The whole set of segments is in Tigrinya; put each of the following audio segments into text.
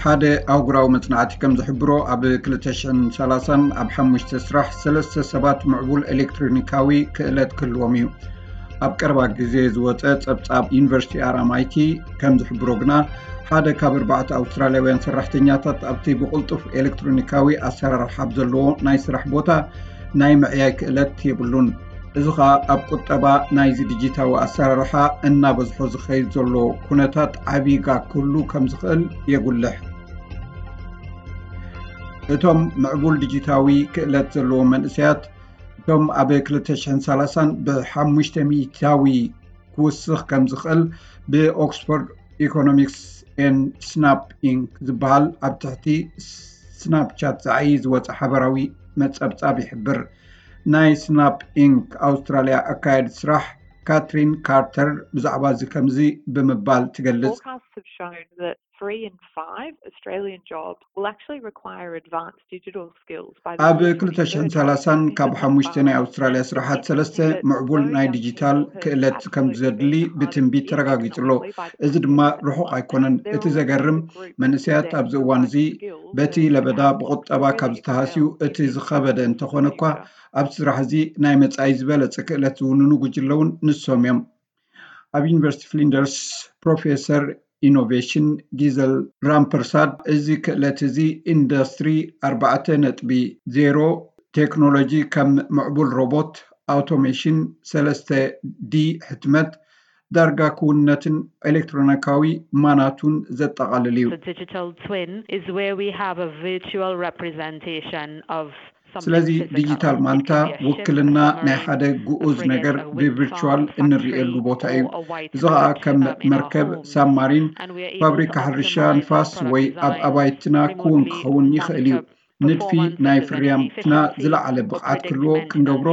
ሓደ ኣህጉራዊ መጽናዕቲ ከም ዝሕብሮ፣ ኣብ ክልተ ሽሕን ሰላሳን ኣብ ሓሙሽተ ስራሕ ሰለስተ ሰባት ምዕቡል ኤሌክትሮኒካዊ ክእለት ክህልዎም እዩ። ኣብ ቀረባ ግዜ ዝወጸ ጸብጻብ ዩኒቨርሲቲ ኣር ኤም ኣይ ቲ ከም ዝሕብሮ ግና፣ ሓደ ካብ ኣርባዕተ ኣውስትራልያውያን ሰራሕተኛታት ኣብቲ ብቕልጡፍ ኤሌክትሮኒካዊ ኣሰራርሓ ኣብ ዘለዎ ናይ ስራሕ ቦታ ናይ ምዕያይ ክእለት የብሉን። እዚ ኸኣ ኣብ ቁጠባ ናይዚ ዲጂታዊ ኣሰራርሓ እናበዝሖ ዝኸይድ ዘሎ ኩነታት ዓቢ ጋግ ክህሉ ከም ዝኽእል የጉልሕ። እቶም ምዕቡል ዲጂታዊ ክእለት ዘለዎም መንእሰያት፣ እቶም ኣብ ክልተ ሽሕን ሰላሳን ብሓሙሽተ ሚእታዊ ክውስኽ ከም ዝኽእል ብኦክስፎርድ ኢኮኖሚክስ ኤን ስናፕ ኢንክ ዝበሃል ኣብ ትሕቲ ስናፕቻት ዝዓዪ ዝወጸ ሓበራዊ መጸብጻብ ይሕብር። ናይ ስናፕ ኢንክ ኣውስትራልያ ኣካየዲ ስራሕ ካትሪን ካርተር ብዛዕባ እዚ ከምዚ ብምባል ትገልጽ። Forecasts have shown that three in five Australian jobs will actually require advanced digital skills by the ኣብ year ክልተ ሽሕን ሰላሳን ካብ ሓሙሽተ ናይ ኣውስትራልያ ስራሓት ሰለስተ ምዕቡል ናይ ዲጂታል ክእለት ከም ዘድሊ ብትንቢት ተረጋጊጹ ኣሎ። እዚ ድማ ርሑቕ ኣይኮነን። እቲ ዘገርም፣ መንእሰያት ኣብዚ እዋን እዚ በቲ ለበዳ ብቁጠባ ካብ ዝተሃስዩ እቲ ዝኸበደ እንተኾነ እኳ፣ ኣብቲ ስራሕ እዚ ናይ መጻኢ ዝበለጸ ክእለት ዝውንኑ ጉጅለ እውን ንሶም እዮም። ኣብ ዩኒቨርሲቲ ፍሊንደርስ ፕሮፌሰር ኢኖቬሽን ጊዘል ራምፐርሳድ፣ እዚ ክእለት እዚ ኢንዱስትሪ ኣርባዕተ ነጥቢ ዜሮ ቴክኖሎጂ ከም ምዕቡል ሮቦት፣ ኣውቶሜሽን፣ ሰለስተ ዲ ሕትመት፣ ዳርጋ ክውንነትን ኤሌክትሮኒካዊ ማናቱን ዘጠቓልል እዩ። The digital twin is where we have a virtual representation of ስለዚ ዲጂታል ማንታ ውክልና ናይ ሓደ ግኡዝ ነገር ብቪርቹዋል እንርእየሉ ቦታ እዩ። እዚ ኸኣ ከም መርከብ፣ ሳብማሪን፣ ፋብሪካ ሕርሻ ንፋስ ወይ ኣብ ኣባይትና ክውን ክኸውን ይኽእል እዩ። ንድፊ ናይ ፍርያምትና ዝለዓለ ብቕዓት ክህልዎ ክንገብሮ፣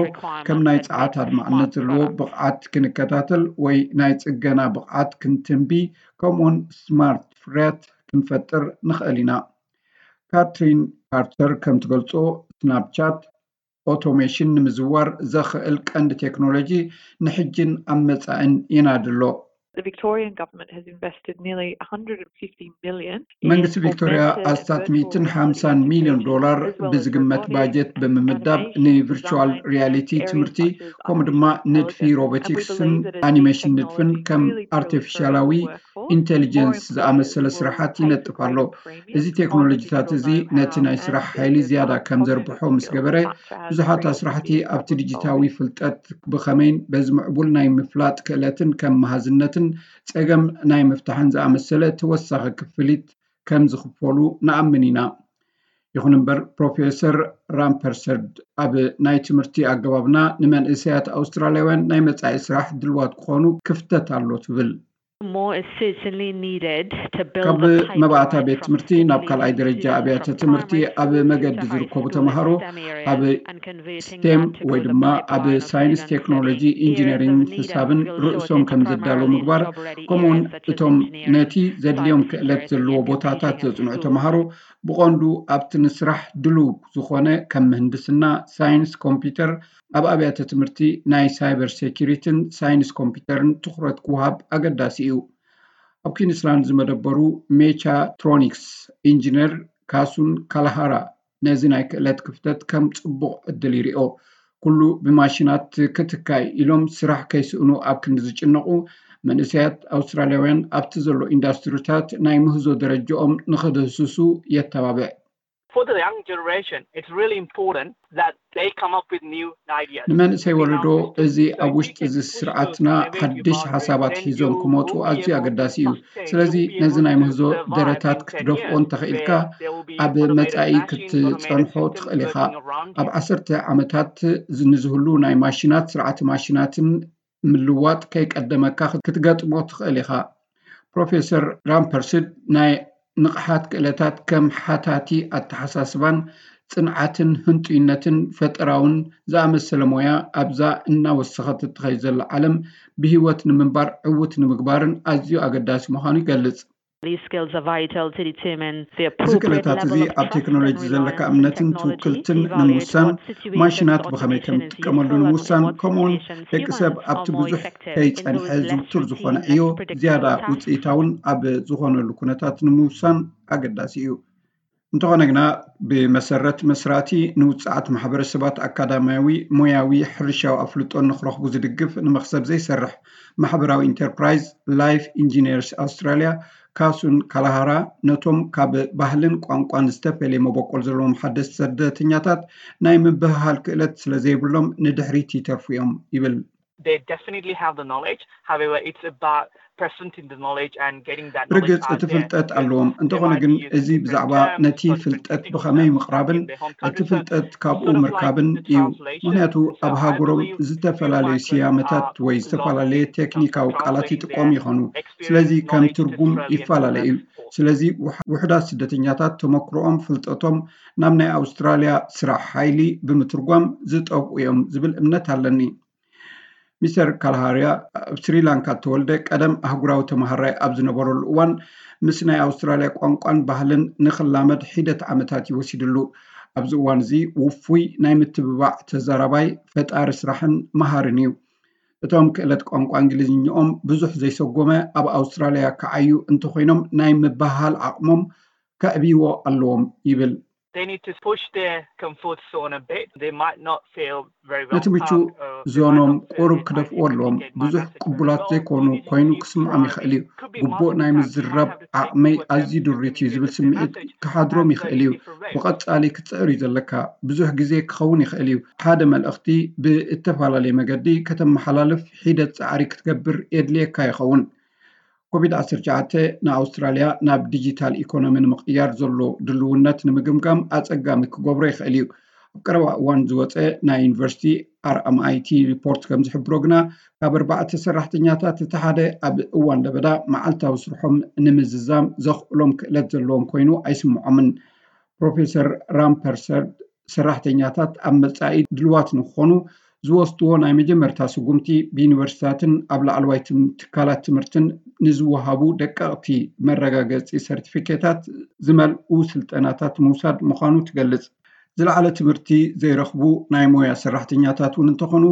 ከም ናይ ጸዓት ኣድማዕነት ዘለዎ ብቕዓት ክንከታተል ወይ ናይ ጽገና ብቕዓት ክንትንቢ፣ ከምኡውን ስማርት ፍርያት ክንፈጥር ንኽእል ኢና። ካትሪን ካርተር ከም ትገልጾ፣ ስናፕቻት ኦቶሜሽን ንምዝዋር ዘኽእል ቀንዲ ቴክኖሎጂ ንሕጅን ኣብ መጻእን ይናዲ ኣሎ። The Victorian government has invested nearly one hundred and fifty million. መንግስቲ ቪክቶርያ ኣስታት ሚእትን ሓምሳን ሚልዮን ዶላር ብዝግመት ባጀት ብምምዳብ ንቪርቹዋል ሪያሊቲ ትምህርቲ፣ ከምኡ ድማ ንድፊ ሮቦቲክስን ኣኒሜሽን ንድፍን ከም ኣርቲፊሻላዊ ኢንቴሊጀንስ ዝኣመሰለ ስራሓት ይነጥፍ ኣሎ። እዚ ቴክኖሎጂታት እዚ ነቲ ናይ ስራሕ ሓይሊ ዝያዳ ከም ዘርብሖ ምስ ገበረ፣ ብዙሓት ኣስራሕቲ ኣብቲ ዲጂታዊ ፍልጠት ብኸመይን በዚ ምዕቡል ናይ ምፍላጥ ክእለትን ከም መሃዝነትን ጸገም ናይ ምፍታሕን ዝኣመሰለ ተወሳኺ ክፍሊት ከም ዝኽፈሉ ንኣምን ኢና። ይኹን እምበር፣ ፕሮፌሰር ራምፐርሰድ ኣብ ናይ ትምህርቲ ኣገባብና ንመንእሰያት ኣውስትራልያውያን ናይ መጻኢ ስራሕ ድልዋት ክኾኑ ክፍተት ኣሎ ትብል። More is certainly needed to build ካብ the pipeline መባእታ ቤት from ትምህርቲ ናብ ካልኣይ ደረጃ ኣብያተ ትምህርቲ ኣብ መገዲ ዝርከቡ ተምሃሮ ኣብ ስቴም ወይ ድማ ኣብ ሳይንስ፣ ቴክኖሎጂ፣ ኢንጂነሪንግ፣ ሕሳብን ርእሶም ከም ዘዳለዉ ምግባር፣ ከምኡውን እቶም ነቲ ዘድልዮም ክእለት ዘለዎ ቦታታት ዘጽንዑ ተምሃሮ ብቐንዱ ኣብቲ ንስራሕ ድሉው ዝኾነ ከም ምህንድስና፣ ሳይንስ ኮምፒውተር፣ ኣብ ኣብያተ ትምህርቲ ናይ ሳይበር ሴኪሪቲን ሳይንስ ኮምፒውተርን ትኹረት ክወሃብ ኣገዳሲ እዩ። ኣብ ኲንስላንድ ዝመደበሩ ሜቻትሮኒክስ ኢንጂነር ካሱን ካላሃራ ነዚ ናይ ክእለት ክፍተት ከም ጽቡቕ ዕድል ይሪኦ። ኩሉ ብማሽናት ክትካእ ኢሎም ስራሕ ከይስእኑ ኣብ ክንዲ ዝጭነቑ፣ መንእሰያት ኣውስትራልያውያን ኣብቲ ዘሎ ኢንዳስትሪታት ናይ ምህዞ ደረጃኦም ንኽድህስሱ የተባብዕ። For the young generation, it's really important that they come up with new ideas. ንመንእሰይ ወለዶ እዚ ኣብ ውሽጢ እዚ ስርዓትና ሓድሽ ሓሳባት ሒዞም ክመፁ ኣዝዩ ኣገዳሲ እዩ። ስለዚ ነዚ ናይ ምህዞ ደረታት ክትደፍኦ እንተኽኢልካ ኣብ መጻኢ ክትጸንሖ ትኽእል ኢኻ። ኣብ ዓሰርተ ዓመታት ንዝህሉ ናይ ማሽናት ስርዓተ ማሽናትን ምልዋጥ ከይቀደመካ ክትገጥሞ ትኽእል ኢኻ። ፕሮፌሰር ራምፐርስድ ናይ ንቕሓት ክእለታት ከም ሓታቲ ኣተሓሳስባን ጽንዓትን ህንጡይነትን ፈጠራውን ዝኣመሰለ ሞያ ኣብዛ እናወሰኸት እትኸይድ ዘላ ዓለም ብህይወት ንምንባር ዕዉት ንምግባርን ኣዝዩ ኣገዳሲ ምዃኑ ይገልጽ። These skills are vital to determine the እዚ ክእለታት እዚ ኣብ ቴክኖሎጂ ዘለካ እምነትን ትውክልትን ንምውሳን፣ ማሽናት ብኸመይ ከም ትጥቀመሉ ንምውሳን፣ ከምኡውን ደቂ ሰብ ኣብቲ ብዙሕ ከይጸንሐ ዝውቱር ዝኾነ ዕዮ ዝያዳ ውፅኢታውን ኣብ ዝኾነሉ ኩነታት ንምውሳን ኣገዳሲ እዩ። እንተኾነ ግና፣ ብመሰረት መስራቲ ንውፅዓት ማሕበረሰባት ኣካዳሚያዊ፣ ሞያዊ፣ ሕርሻዊ ኣፍልጦ ንክረኽቡ ዝድግፍ ንመኽሰብ ዘይሰርሕ ማሕበራዊ ኢንተርፕራይዝ ላይፍ ኢንጂነርስ ኣውስትራሊያ፣ ካሱን ካላሃራ፣ ነቶም ካብ ባህልን ቋንቋን ዝተፈለየ መበቆል ዘለዎም ሓደስቲ ስደተኛታት ናይ ምብህሃል ክእለት ስለ ዘይብሎም ንድሕሪት ይተርፉ እዮም ይብል። They definitely have the knowledge. However, it's about presenting the knowledge and getting that knowledge. ርግጽ፣ እቲ ፍልጠት ኣለዎም። እንተኾነ ግን፣ እዚ ብዛዕባ ነቲ ፍልጠት ብኸመይ ምቕራብን እቲ ፍልጠት ካብኡ ምርካብን እዩ። ምኽንያቱ፣ ኣብ ሃገሮም ዝተፈላለዩ ስያመታት ወይ ዝተፈላለየ ቴክኒካዊ ቃላት ይጥቀሙ ይኾኑ። ስለዚ ከም ትርጉም ይፈላለ እዩ። ስለዚ ውሕ-፣ ውሑዳት ስደተኛታት ተመክሮኦም፣ ፍልጠቶም ናብ ናይ ኣውስትራልያ ስራሕ ሓይሊ ብምትርጓም ዝጠፍኡ እዮም ዝብል እምነት ኣለኒ። ሚስተር ካልሃርያ ኣብ ስሪላንካ እተወልደ፣ ቀደም ኣህጉራዊ ተመሃራይ ኣብ ዝነበረሉ እዋን፣ ምስ ናይ ኣውስትራልያ ቋንቋን ባህልን ንኽላመድ ሒደት ዓመታት እዩ ወሲድሉ። ኣብዚ እዋን እዚ ውፉይ ናይ ምትብባዕ ተዛራባይ፣ ፈጣሪ ስራሕን መሃርን እዩ። እቶም ክእለት ቋንቋ እንግሊዝኛኦም ብዙሕ ዘይሰጎመ ኣብ ኣውስትራልያ ክዓዩ እንተኾይኖም፣ ናይ ምብህሃል ዓቕሞም ከዕብይዎ ኣለዎም ይብል። They need to push their comfort zone a bit. They might not feel very ነቲ ምቹእ ዞኖም ቁሩብ ክደፍእዎ ኣለዎም። ብዙሕ ቅቡላት ዘይኮኑ ኮይኑ ክስምዖም ይኽእል እዩ። ግቡእ ናይ ምዝራብ ዓቕመይ ኣዝዩ ድሪት እዩ ዝብል ስምዒት ክሓድሮም ይኽእል እዩ። ብቐጻሊ ክትጽዕር እዩ ዘለካ። ብዙሕ ግዜ ክኸውን ይኽእል እዩ። ሓደ መልእኽቲ ብእተፈላለየ መገዲ ከተመሓላልፍ ሒደት ጻዕሪ ክትገብር የድልየካ ይኸውን። ኮቪድ ዓሰርተ ትሽዓተ ንኣውስትራልያ ናብ ዲጂታል ኢኮኖሚ ንምቕያር ዘሎ ድልውነት ንምግምጋም ኣጸጋሚ ክገብሮ ይኽእል እዩ። ኣብ ቀረባ እዋን ዝወጸ ናይ ዩኒቨርሲቲ ኣር ኤም ኣይ ቲ ሪፖርት ከም ዝሕብሮ ግና፣ ካብ ኣርባዕተ ሰራሕተኛታት እቲ ሓደ ኣብ እዋን ለበዳ መዓልታዊ ስርሖም ንምዝዛም ዘኽእሎም ክእለት ዘለዎም ኮይኑ ኣይስምዖምን። ፕሮፌሰር ራምፐርሰርድ፣ ሰራሕተኛታት ኣብ መጻኢ ድልዋት ንክኾኑ ዝወስድዎ ናይ መጀመርታ ስጉምቲ፣ ብዩኒቨርሲታትን ኣብ ላዕለዋይ ትም-፣ ትካላት ትምህርትን ንዝወሃቡ ደቀቕቲ መረጋገጺ ሰርቲፊኬታት ዝመልኡ ስልጠናታት ምውሳድ ምዃኑ ትገልጽ። ዝለዓለ ትምህርቲ ዘይረኽቡ ናይ ሞያ ሰራሕተኛታት እውን እንተኾኑ፣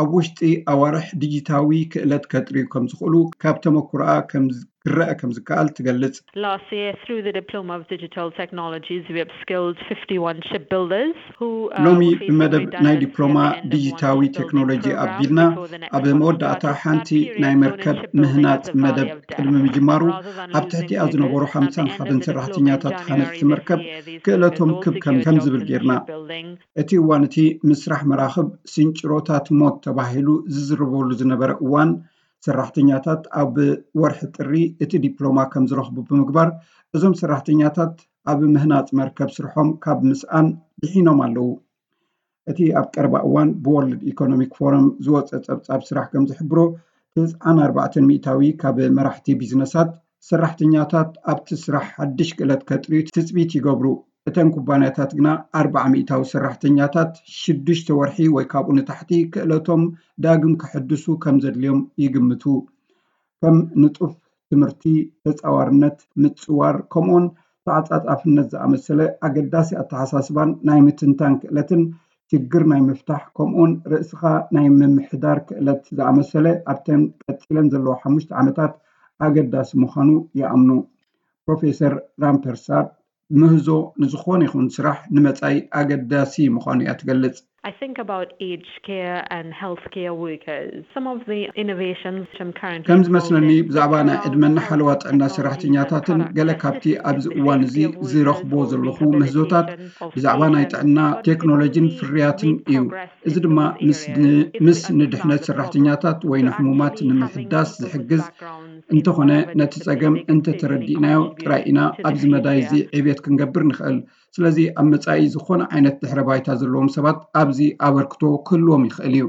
ኣብ ውሽጢ ኣዋርሕ ዲጂታዊ ክእለት ከጥርዩ ከም ዝኽእሉ ካብ ተመክሮኣ ከም ዝ-፣ ክረአ ከም ዝከኣል ትገልጽ። Last year, through the Diploma of Digital Technologies, we upskilled fifty-one shipbuilders who, uh, ሎሚ were facing ብመደብ ናይ redundancy ዲፕሎማ at the end of one ዲጂታዊ shipbuilding ቴክኖሎጂ program ኣቢልና፣ before the next ኣብ one መወዳእታ started. ሓንቲ That period ናይ known as መርከብ shipbuilding ምህናጽ as the መደብ Valley of ቅድሚ Death, ምጅማሩ፣ rather than ኣብቲ ሕቲኣ ዝነበሩ ሓምሳን ሓደን ሰራሕተኛታት ሃነጽቲ መርከብ ክእለቶም ክብ ከም፣ ከም ዝብል ጌርና። እቲ እዋን እቲ ምስራሕ መራኽብ ስንጭሮታት ሞት ተባሂሉ ዝዝረበሉ ዝነበረ እዋን፣ ሰራሕተኛታት ኣብ ወርሒ ጥሪ እቲ ዲፕሎማ ከም ዝረኽቡ ብምግባር፣ እዞም ሰራሕተኛታት ኣብ ምህናጽ መርከብ ስርሖም ካብ ምስኣን ድሒኖም ኣለዉ። እቲ ኣብ ቀረባ እዋን ብወርልድ ኢኮኖሚክ ፎረም ዝወጸ ጸብጻብ ስራሕ ከም ዝሕብሮ፣ ተስዓን ኣርባዕተን ሚእታዊ ካብ መራሕቲ ቢዝነሳት፣ ሰራሕተኛታት ኣብቲ ስራሕ ሓድሽ ክእለት ከጥርዩ ትጽቢት ይገብሩ። እተን ኩባንያታት ግና ኣርብዓ ሚእታዊ ሰራሕተኛታት ሽዱሽተ ወርሒ ወይ ካብኡ ንታሕቲ ክእለቶም ዳግም ከሐድሱ ከም ዘድልዮም ይግምቱ። ከም ንጡፍ ትምህርቲ፣ ተጻዋርነት፣ ምጽዋር፣ ከምኡውን ተዓጻጻፍነት ዝኣመሰለ ኣገዳሲ ኣተሓሳስባን ናይ ምትንታን ክእለትን፣ ችግር ናይ ምፍታሕ፣ ከምኡውን ርእስኻ ናይ ምምሕዳር ክእለት ዝኣመሰለ ኣብተን ቀጺለን ዘለዋ ሓሙሽተ ዓመታት ኣገዳሲ ምዃኑ ይኣምኑ። ፕሮፌሰር ራምፐርሳርድ፣ ምህዞ ንዝኾነ ይኹን ስራሕ ንመጻኢ ኣገዳሲ ምዃኑ እያ ትገልጽ። I think about aged care and healthcare workers. Some of the innovations which I'm currently ከም ዝመስለኒ፣ involved in ብዛዕባ ናይ ዕድመና ሓለዋ ጥዕና ሰራሕተኛታትን ገለ ካብቲ ኣብዚ እዋን እዚ ዝረኽቦ ዘለኹ ምህዞታት ብዛዕባ ናይ ጥዕና ቴክኖሎጂን ፍርያትን እዩ። እዚ ድማ ምስ ን-፣ ምስ ንድሕነት ሰራሕተኛታት ወይ ንሕሙማት ንምሕዳስ ዝሕግዝ እንተኾነ፣ ነቲ ጸገም እንተተረዲእናዮ ጥራይ ኢና ኣብዚ መዳይ እዚ ዕብየት ክንገብር ንኽእል። ስለዚ ኣብ መጻኢ ዝኾነ ዓይነት ድሕረ ባይታ ዘለዎም ሰባት ኣብዚ ኣበርክቶ ክህልዎም ይኽእል እዩ።